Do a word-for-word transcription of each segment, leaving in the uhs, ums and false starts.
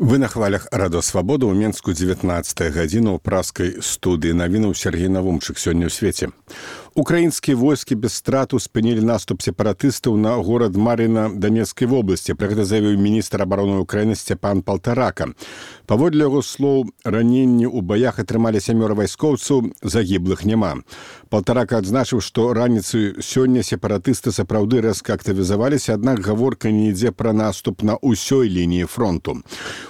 Вы на хвалях Радо Свабода ў Менску дзевятнаццатая гадзіна ў праскай студыі навінаў Сергей Навумчык сёння ў свеце. Украінскія войскі без страту спынілі наступ сепаратыстаў на горад Мар'іна Донецкай вобласці. Пра гэта заявіў міністр абароны Украіны Сцяпан Палтарака. Паводле яго слоў, раненні ў баях атрымалі сямёра вайскоўцаў, загіблых няма. Палтарака адзначыў, што раніцай сёння сепаратысты сапраўды рэзка актывізаваліся, аднак гаворка не ідзе пра наступ на ўсёй лініі фронту.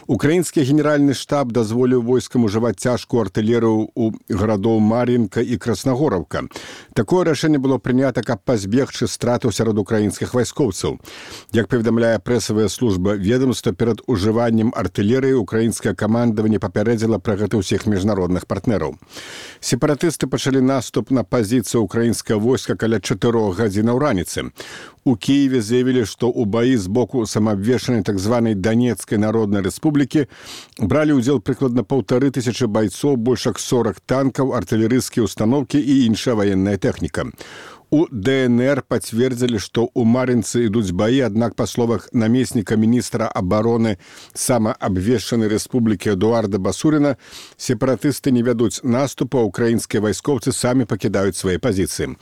Украінскі генеральны штаб дазволіў войскам ужываць цяжкую артылерыю ў гарадоў Мар'інка і Краснагораўка. Такое рашэнне было прынята, каб пазбегчы стратаў сярод украінскіх вайскоўцаў. Як паведамляе прэсавая служба ведомства, перад ужываннем артылерыі украінскае камандаванне папярэдзіла пра гэта ўсіх міжнародных партнераў. Сепаратысты пачалі наступ на пазіцыю украінскага войска каля чатырох гадзінаў раніцы. У Киеве заявілі, што ў баі з боку самаабвешчанай так званай Донецкай народнай рэспублікі бралі ўдзел прыкладна паўтары тысячы байцоў, больш як сорок танкаў, артылерыйскія ўстаноўкі і іншая ваенная тэхніка. У ДНР пацвердзілі, што ў Мар'інцы ідуць баі, аднак, па словах намесніка міністра абароны самаабвешчанай рэспублікі Эдуарда Басуріна, сепаратысты не вядуць наступа, украінскія вайскоўцы самі пакідаюць свае пазіцыі.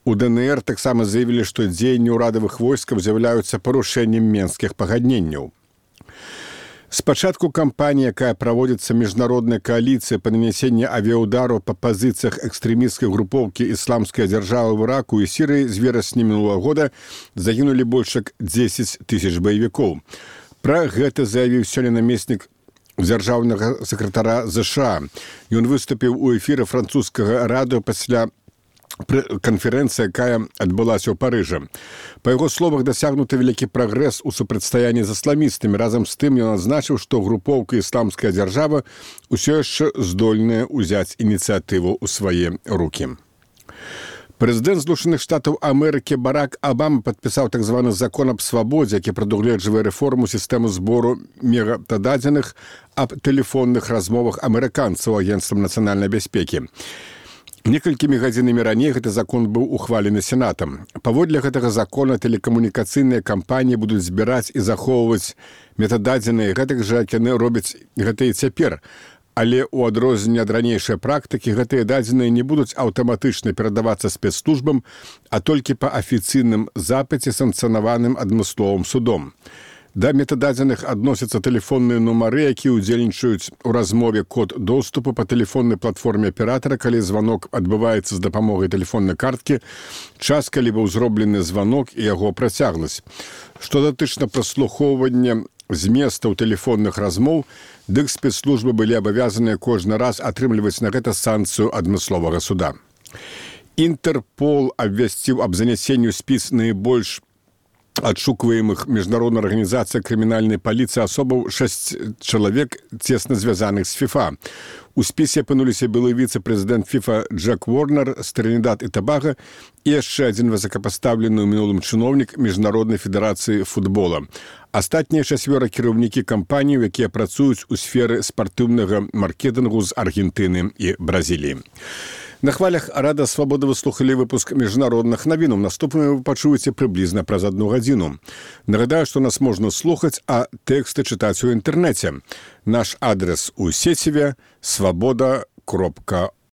У ДНР таксама заявілі, што дзеянні ўрадавых войскаў з'яўляюцца парушэннем менскіх пагадненняў. Спачатку кампаніі, якая праводзіцца міжнароднай кааліцыяй па нанясенні авіяўдараў па пазіцыях экстрэмісцкай групоўкі ісламская дзяржава ў Іраку і Сірыі з верасня мінулага года загінулі больш як дзесяць тысяч баевікоў. Пра гэта заявіў сёння намеснік дзяржаўнага сакратара ЗША. Ён выступіў у эфіры французскага радыё пасля канферэнцыя, якая адбылася ў Парыжы. Па яго словах, дасягнуты вялікі прагрэс у супрацьстаянні з ісламістамі. Разам з тым ён адзначыў, што групоўка «Ісламская дзяржава» усё яшчэ здольная ўзяць ініцыятыву ў свае рукі. Прэзідэнт Злучаных Штатаў Амерыкі Барак Абама падпісаў так званы закон аб свабодзе, які прадугледжвае рэформу сістэмы збору метададзеных аб тэлефонных размовах амерыканцаў агенцтвам нацыянальнай бяспекі. Некалькімі гадзінамі раней гэты закон быў ухвалены Сенатам. Паводле гэтага закона тэлекамунікацыйныя кампаніі будуць збіраць і захоўваць метададзеныя гэтак жа, як яны робяць гэта і цяпер. Але ў адрозненне ад ранейшай практыкі гэтыя дадзеныя не будуць аўтаматычна перадавацца спецслужбам, а толькі па афіцыйным запыце, санкцыянаваным адмысловым судом. Да метададзеных адносяцца тэлефонныя нумары, якія ўдзельнічаюць у размове, код доступу па тэлефоннай платформе аператара, калі званок адбываецца з дапамогай тэлефоннай карткі, час, калі быў зроблены званок і яго працягласць. Што датычна праслухоўвання зместаў тэлефонных размоў, дык спецслужбы былі абавязаныя кожны раз атрымліваць на гэта санкцыю адмысловага суда. Інтэрпол абвясціў аб занясенні ў спіс найбольш адшукваемых міжнароднай арганізацыі крымінальнай паліцыі асобаў шэсць чалавек, цесна звязаных з ФІФА. У спісе апынуліся былы віцэ-прэзідэнт ФІФА Джек Уорнер з Тринидад і Табага і яшчэ адзін высокапастаўлены ў мінулым чыноўнік Міжнароднай федэрацыі футбола. Астатнія чацвёра кіраўнікі кампаній, якія працуюць у сферы спартыўнага маркетынгу з Аргентыны і Бразіліі. На хвалях Рада Свабоды вы слухалі выпуск міжнародных навінаў. Наступныя вы пачуеце прыблізна праз адну гадзіну. Нагадаю, што нас можна слухаць, а тэксты чытаць у інтэрнэце. Наш адрес у сеціве свабода кропка